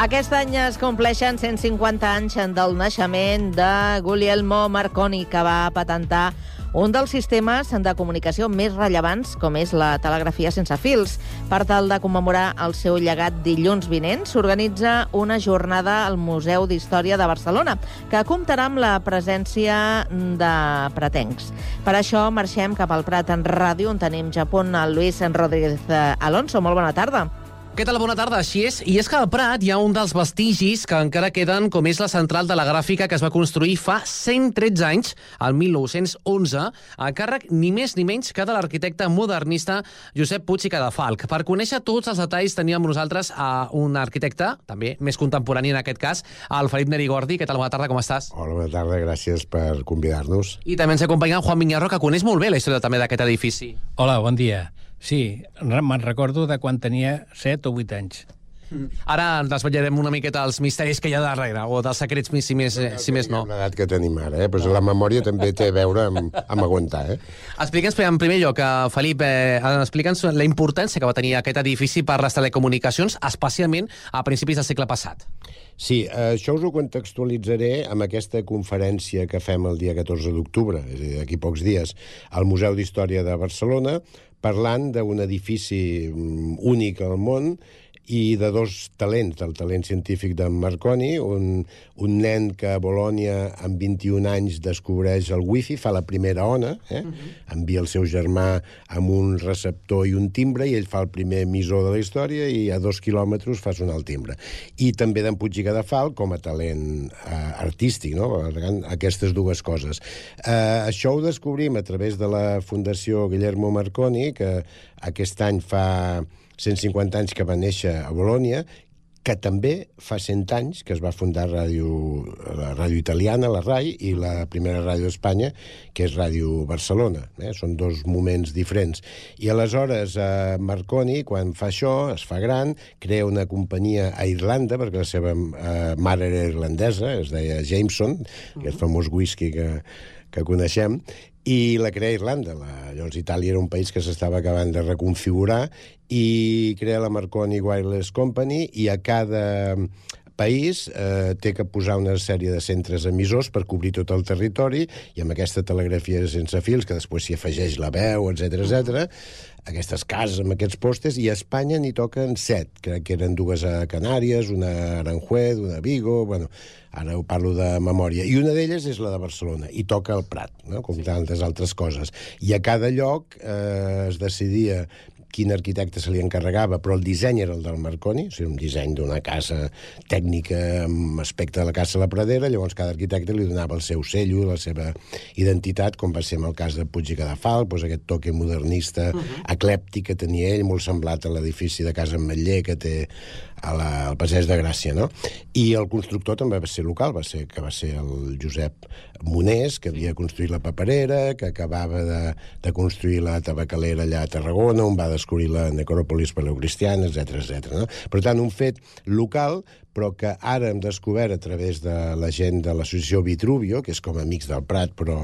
Aquest any es compleixen 150 anys del naixement de Guglielmo Marconi, que va patentar un dels sistemes de comunicació més rellevants, com és la telegrafia sense fils. Per tal de commemorar el seu llegat, dilluns vinent s'organitza una jornada al Museu d'Història de Barcelona, que comptarà amb la presència de pretencs. Per això marxem cap al Prat en ràdio, on tenim ja a punt el Luis Rodríguez Alonso. Molt bona tarda. Què tal? Bona tarda, així és. I és que al Prat hi ha un dels vestigis que encara queden, com és la central de la gràfica que es va construir fa 113 anys, el 1911, a càrrec ni més ni menys que de l'arquitecte modernista Josep Puig i Cadafalch. Per conèixer tots els detalls teníem amb nosaltres a un arquitecte, també més contemporani en aquest cas, el Felip Nerigordi. Què tal? Bona tarda, com estàs? Hola, bona tarda, gràcies per convidar-nos. I també ens acompanya Juan Miñarro, que coneix molt bé la història també d'aquest edifici. Hola, bon dia. Sí, me'n recordo de quan tenia 7 o 8 anys. Ara ens desvetllarem una miqueta els misteris que hi ha darrere, o dels secrets, si més no. Una edat que tenim ara, però la memòria també té a veure amb aguantar. Explica'ns, en primer lloc, Felip, explica'ns la importància que va tenir aquest edifici per les telecomunicacions, especialment a principis del segle passat. Sí, això us ho contextualitzaré amb aquesta conferència que fem el dia 14 d'octubre, és a dir, d'aquí pocs dies, al Museu d'Història de Barcelona, parlant d'un edifici únic al món i de dos talents, del talent científic d'en Marconi, un nen que a Bologna amb 21 anys descobreix el wifi, fa la primera ona, envia el seu germà amb un receptor i un timbre i ell fa el primer emissor de la història i a 2 quilòmetres fa sonar el timbre. I també d'en Puig i Cadafalch com a talent artístic, no? Aquestes dues coses. Això ho descobrim a través de la Fundació Guillermo Marconi, que aquest any fa 150 anys que va néixer a Bologna, que també fa 100 anys que es va fundar la ràdio italiana, la RAI, i la primera ràdio d'Espanya, que és Ràdio Barcelona. Són dos moments diferents. I aleshores Marconi, quan fa això, es fa gran, crea una companyia a Irlanda, perquè la seva mare era irlandesa, es deia Jameson, aquest famós whisky que coneixem, i la crea Irlanda. Llavors Itàlia era un país que s'estava acabant de reconfigurar i crea la Marconi Wireless Company i a cada país té que posar una sèrie de centres emissors per cobrir tot el territori i amb aquesta telegrafia sense fils, que després s'hi afegeix la veu, etc., aquestes cases amb aquests postes, i a Espanya n'hi toquen 7, crec que eren 2 a Canàries, una a Aranjuez, una a Vigo, bueno, ara ho parlo de memòria, i una d'elles és la de Barcelona, i toca al Prat, no? Com tantes altres coses. I a cada lloc es decidia quin arquitecte se li encarregava, però el disseny era el del Marconi, o sigui, un disseny d'una casa tècnica amb aspecte de la Casa de la Pradera, llavors cada arquitecte li donava el seu cello, la seva identitat, com va ser en el cas de Puig i Cadafalch, doncs aquest toque modernista, eclèptic que tenia ell, molt semblat a l'edifici de Casa Ametller que té al Passeig de Gràcia, no? I el constructor també va ser local, va ser el Josep Monés, que havia construït la paperera, que acabava de construir la tabacalera allà a Tarragona, on va descobrir la necròpolis paleocristiana, etc. No? Per tant, un fet local, però que ara hem descobert a través de la gent de l'associació Vitruvio, que és com Amics del Prat, però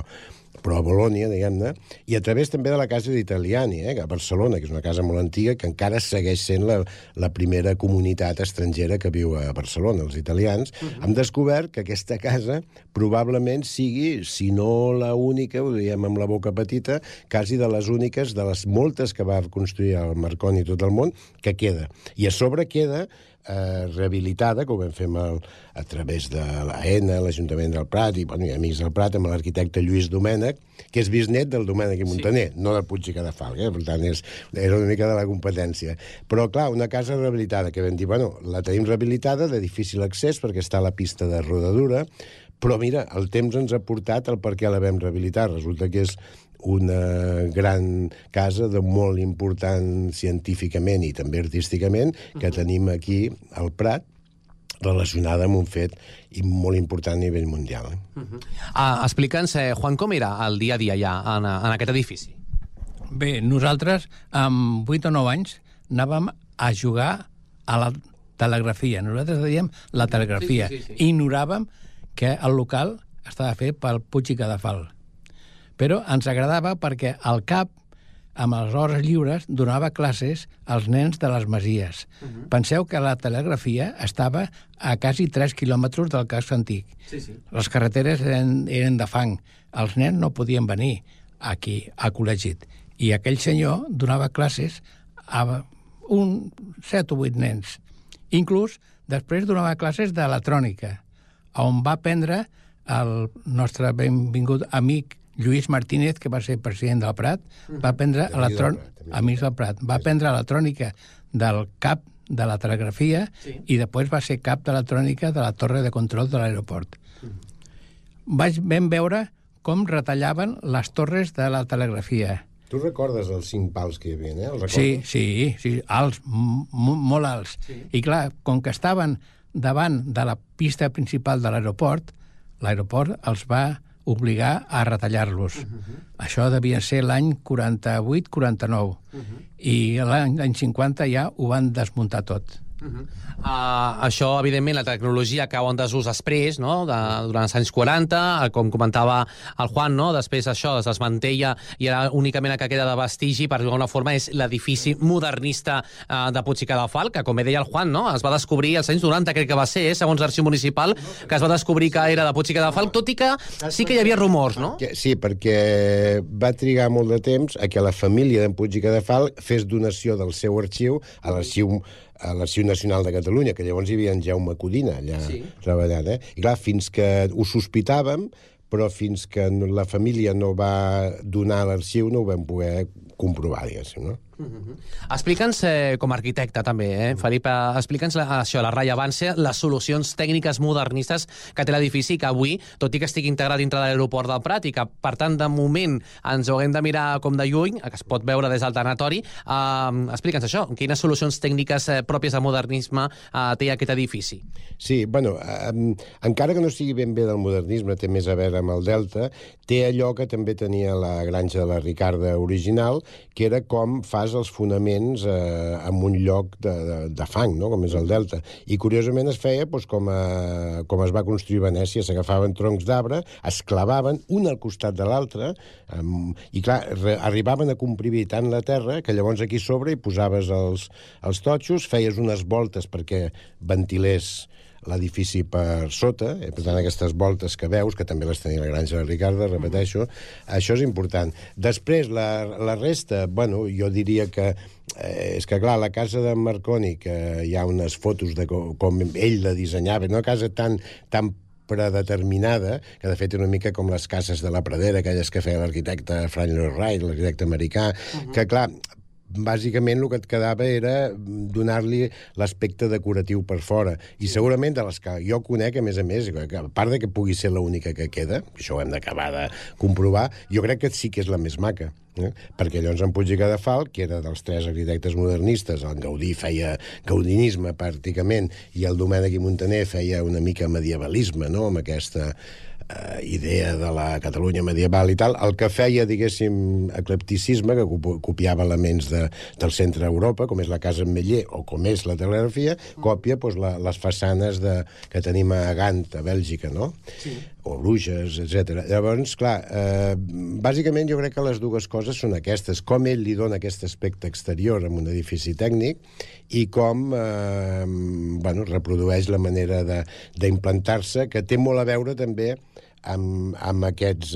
a Bologna, diguem-ne, i a través també de la Casa d'Italiani, a Barcelona, que és una casa molt antiga, que encara segueix sent la primera comunitat estrangera que viu a Barcelona, els italians. Hem descobert que aquesta casa probablement sigui, si no la única, ho diem amb la boca petita, quasi de les úniques, de les moltes que va construir el Marconi i tot el món, que queda. I a sobre queda rehabilitada, com vam fer a través de l'AENA, l'Ajuntament del Prat i Amics del Prat, amb l'arquitecte Lluís Domènech, que és bisnet del Domènech i Montaner, no del Puig i Cadafalch, per tant era una mica de la competència. Però clar, una casa rehabilitada, que vam dir, la tenim rehabilitada, de difícil accés, perquè està a la pista de rodadura, però mira, el temps ens ha portat el per què la vam rehabilitar. Resulta que és una gran casa de molt important científicament i també artísticament que tenim aquí al Prat, relacionada amb un fet molt important a nivell mundial. Explica'ns, Juan, com era el dia a dia ja en aquest edifici? Bé, nosaltres amb 8 o 9 anys anàvem a jugar a la telegrafia. Nosaltres dèiem la telegrafia. Sí. Ignoràvem que el local estava fet pel Puig i Cadafalch. Però ens agradava perquè al cap amb les hores lliures, donava classes als nens de les masies. Penseu que la telegrafia estava a quasi 3 quilòmetres del casc antic. Les carreteres eren de fang. Els nens no podien venir aquí, a Col·legit. I aquell senyor donava classes a 7 o 8 nens. Inclús després donava classes d'electrònica, on va aprendre el nostre benvingut amic Lluís Martínez, que va ser president del Prat, va aprendre electrònica del cap de la telegrafia i després va ser cap d'electrònica de la torre de control de l'aeroport. Vam veure com retallaven les torres de la telegrafia. Tu recordes els 5 pals que hi havia, eh? Sí, alts, molt alts. I clar, com que estaven davant de la pista principal de l'aeroport els va obligar a retallar-los. Això devia ser l'any 48-49. I l'any 50 ja ho van desmuntar tot. Això, evidentment, la tecnologia cau en desús després, no? Durant els anys 40, com comentava el Juan, no? Després això es desmantella i ara únicament el que queda de vestigi, per alguna forma, és l'edifici modernista de Puig i Cadafalch, que, com deia el Juan, no? Es va descobrir als anys 90, crec que va ser, segons l'arxiu municipal, que es va descobrir que era de Puig i Cadafalch, tot i que sí que hi havia rumors, no? Sí, perquè va trigar molt de temps a que la família d'en Puig i Cadafalch fes donació del seu arxiu a l'Arxiu Nacional de Catalunya, que llavors hi havia en Jaume Codina allà treballant. I clar, fins que ho sospitàvem, però fins que la família no va donar l'arxiu no ho vam poder comprovar, diguéssim, no? Explica'ns, com a arquitecte també, Felip, explica'ns això, la rellevància, les solucions tècniques modernistes que té l'edifici, que avui, tot i que estigui integrat dintre de l'aeroport del Prat i que, per tant, de moment ens ho haguem de mirar com de lluny, que es pot veure des del tanatori, explica'ns això, quines solucions tècniques pròpies de modernisme té aquest edifici? Sí, bueno, encara que no sigui ben bé del modernisme, té més a veure amb el Delta, té allò que també tenia la granja de la Ricarda original, que era com fas els fonaments en un lloc de fang, no? Com és el Delta. I, curiosament, es feia com es va construir Venècia. S'agafaven troncs d'arbre, es clavaven un al costat de l'altre, i, clar, arribaven a comprimir tant la terra que llavors aquí sobre hi posaves els totxos, feies unes voltes perquè ventilés l'edifici per sota, per tant, aquestes voltes que veus, que també les tenia la granja de la Ricarda, repeteixo, això és important. Després, la resta, bueno, jo diria que és que, clar, la casa de Marconi, que hi ha unes fotos de com ell la dissenyava, una casa tan predeterminada, que de fet era una mica com les cases de la Pradera, aquelles que feia l'arquitecte Frank Lloyd Wright, l'arquitecte americà, que, clar, bàsicament el que et quedava era donar-li l'aspecte decoratiu per fora. I segurament de les que jo conec, a més, a part de que pugui ser l'única que queda, això ho hem d'acabar de comprovar, jo crec que sí que és la més maca. Perquè llavors en Puig i Cadafalch, que era dels 3 arquitectes modernistes, el Gaudí feia gaudinisme pràcticament, i el Domènech i Montaner feia una mica medievalisme, no?, amb aquesta idea de la Catalunya medieval i tal, el que feia, diguéssim, eclecticisme, que copiava elements del centre d'Europa, com és la Casa Ametller o com és la telegrafia, còpia les façanes que tenim a Gant, a Bèlgica, no? Sí. O Bruges, etc. Llavors, clar, bàsicament jo crec que les dues coses són aquestes, com ell li dona aquest aspecte exterior en un edifici tècnic i com reprodueix la manera d'implantar-se, que té molt a veure també amb aquests...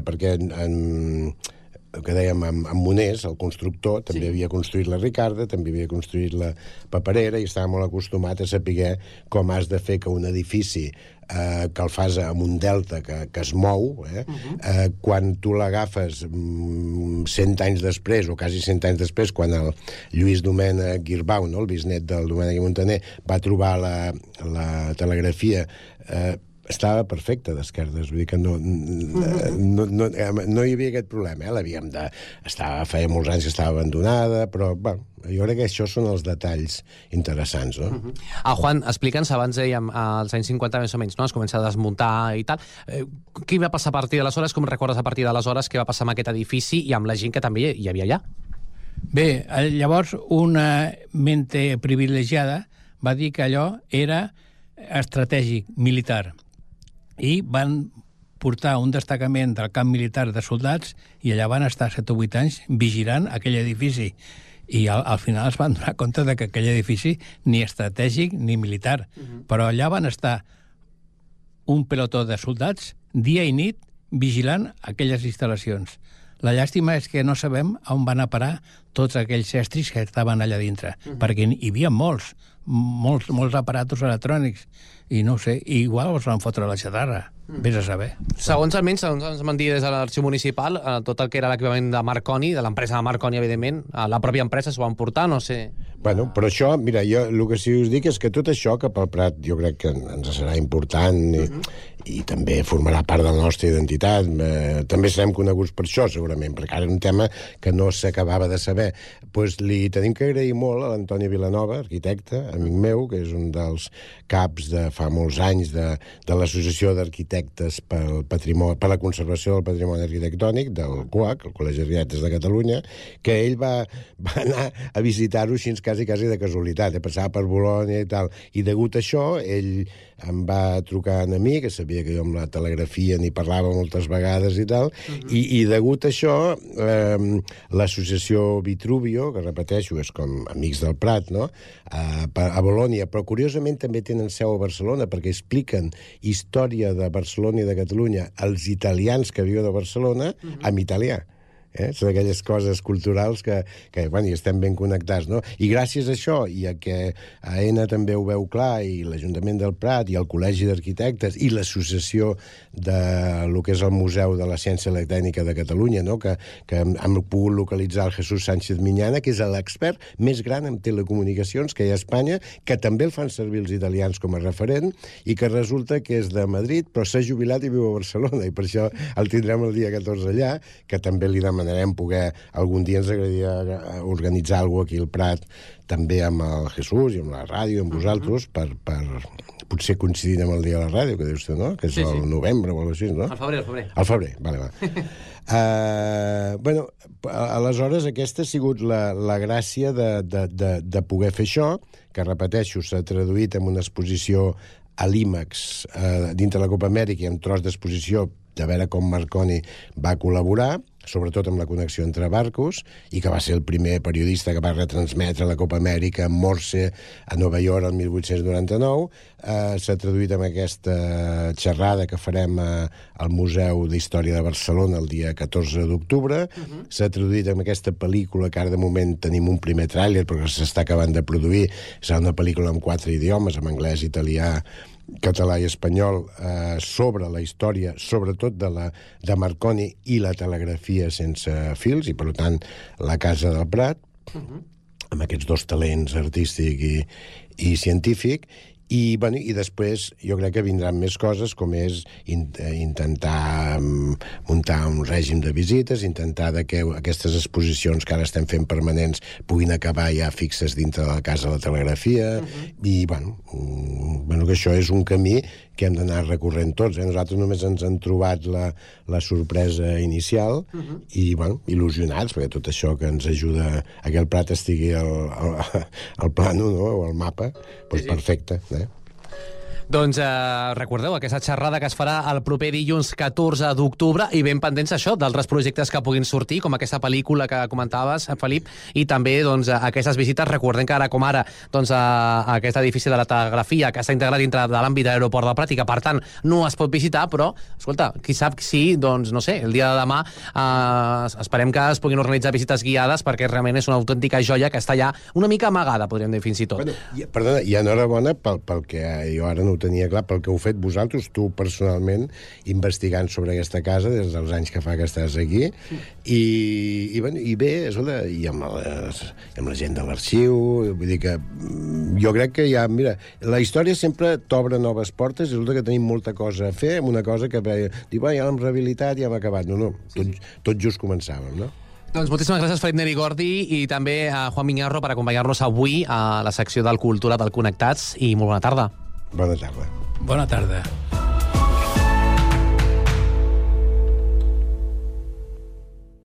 perquè el que dèiem, amb Monés, el constructor, també havia construït la Ricarda, també havia construït la Paperera i estava molt acostumat a saber com has de fer que un edifici que el fas amb un delta que es mou, quan tu l'agafes 100 anys després, o quasi 100 anys després, quan el Lluís Domènech Guirbau, no, el bisnet del Domènech i Montaner, va trobar la telegrafia, estava perfecta d'esquerdes, vull dir que no hi havia aquest problema, l'havíem de... Feia molts anys que estava abandonada, però, bueno, jo crec que això són els detalls interessants, no? Juan, explica'ns, abans dèiem, als anys 50 més o menys, no?, es comença a desmuntar i tal. Què va passar a partir d'aleshores? Com recordes a partir d'aleshores què va passar amb aquest edifici i amb la gent que també hi havia allà? Bé, llavors una mente privilegiada va dir que allò era estratègic, militar, i van portar un destacament del camp militar de soldats i allà van estar 7 o 8 anys vigilant aquell edifici. I al final es van donar compte de que aquell edifici ni estratègic ni militar. Però allà van estar un pelotó de soldats dia i nit vigilant aquelles instal·lacions. La llàstima és que no sabem on van a parar tots aquells estris que estaven allà dintre, perquè hi havia molts aparatos electrònics, i no ho sé, igual els van fotre a la xatarra, vés a saber. Segons ens van dir des de l'arxiu municipal, tot el que era l'equipament de Marconi, de l'empresa de Marconi, evidentment, la pròpia empresa s'ho van portar, no sé... Bueno, però això, mira, jo el que sí us dic és que tot això cap al Prat jo crec que ens serà important i també formarà part de la nostra identitat. També serem coneguts per això, segurament, perquè ara és un tema que no s'acabava de saber. Doncs li tenim que agrair molt a l'Antoni Vilanova, arquitecte, amic meu, que és un dels caps de fa molts anys de l'Associació d'Arquitectes per la Conservació del Patrimoni Arquitectònic, del CUAC, el Col·legi d'Arquitectes de Catalunya, que ell va anar a visitar-ho així quasi de casualitat, passava per Bolònia i tal, i degut a això ell em va trucar a mi, que sabia que jo amb la telegrafia n'hi parlava moltes vegades i tal, i degut a això l'associació Vitruvio, que repeteixo, és com Amics del Prat, no?, a Bolònia, però curiosament també tenen seu a Barcelona, perquè expliquen història de Barcelona i de Catalunya als italians que viuen a Barcelona en italià. Són aquelles coses culturals que bueno, hi estem ben connectats, no? I gràcies a això, i a que AENA també ho veu clar, i l'Ajuntament del Prat, i el Col·legi d'Arquitectes, i l'associació de lo que és el Museu de la Ciència i la Tècnica de Catalunya, no? que hem pogut localitzar el Jesús Sánchez Miñana, que és l'expert més gran en telecomunicacions que hi ha a Espanya, que també el fan servir els italians com a referent, i que resulta que és de Madrid, però s'ha jubilat i viu a Barcelona, i per això el tindrem el dia 14 allà, que també li demanem poder, algun dia ens agradaria organitzar alguna cosa aquí al Prat, també amb el Jesús i amb la ràdio, amb vosaltres, per potser coincidint amb el dia de la ràdio, que dius tu, no? Que és el novembre o alguna cosa així, no? Al febrer. Al febrer, vale. Bueno, aleshores aquesta ha sigut la gràcia de poder fer això, que repeteixo, s'ha traduït en una exposició a l'IMAX dintre la Copa Amèrica i en tros d'exposició de veure com Marconi va col·laborar, sobretot amb la connexió entre barcos, i que va ser el primer periodista que va retransmetre la Copa Amèrica en Morse a Nova York el 1899. S'ha traduït amb aquesta xerrada que farem al Museu d'Història de Barcelona el dia 14 d'octubre. S'ha traduït amb aquesta pel·lícula, que ara de moment tenim un primer tràiler, però que s'està acabant de produir. Serà una pel·lícula en 4 idiomes, en anglès, italià, català i espanyol, sobre la història, sobretot de Marconi i la telegrafia sense fils, i per tant la Casa del Prat, amb aquests dos talents, artístic i científic. I després jo crec que vindran més coses, com és intentar muntar un règim de visites, intentar que aquestes exposicions que ara estem fent permanents puguin acabar ja fixes dintre de la Casa de la Telegrafia, i que això és un camí que hem d'anar recorrent tots. Nosaltres només ens han trobat la sorpresa inicial i il·lusionats, perquè tot això que ens ajuda a que el Prat estigui al plano, no?, o al mapa, doncs perfecte. Doncs recordeu aquesta xerrada que es farà el proper dilluns 14 d'octubre, i ben pendents això d'altres projectes que puguin sortir, com aquesta pel·lícula que comentaves, Felip, i també aquestes visites. Recordem que ara com ara aquest edifici de la telegrafia, que està integrat dintre de l'àmbit de l'aeroport del Prat i que per tant no es pot visitar, però escolta, qui sap si, doncs no sé, el dia de demà esperem que es puguin organitzar visites guiades, perquè realment és una autèntica joia que està allà una mica amagada, podríem dir fins i tot. Perdona, i enhorabona pel que jo ara no ho tenia clar, pel que heu fet vosaltres, tu personalment, investigant sobre aquesta casa des dels anys que fa que estàs aquí, i bé, i amb la gent de l'arxiu, vull dir que jo crec que ja, mira, la història sempre t'obre noves portes, i resulta que tenim molta cosa a fer, amb una cosa que ja l'hem rehabilitat, ja hem acabat. No, tot just començàvem, no? Doncs moltíssimes gràcies, Felip Neri Gordi, i també a Juan Miñarro per acompanyar-nos avui a la secció del Cultura del Connectats, i molt bona tarda. Bona tarda. Bona tarda.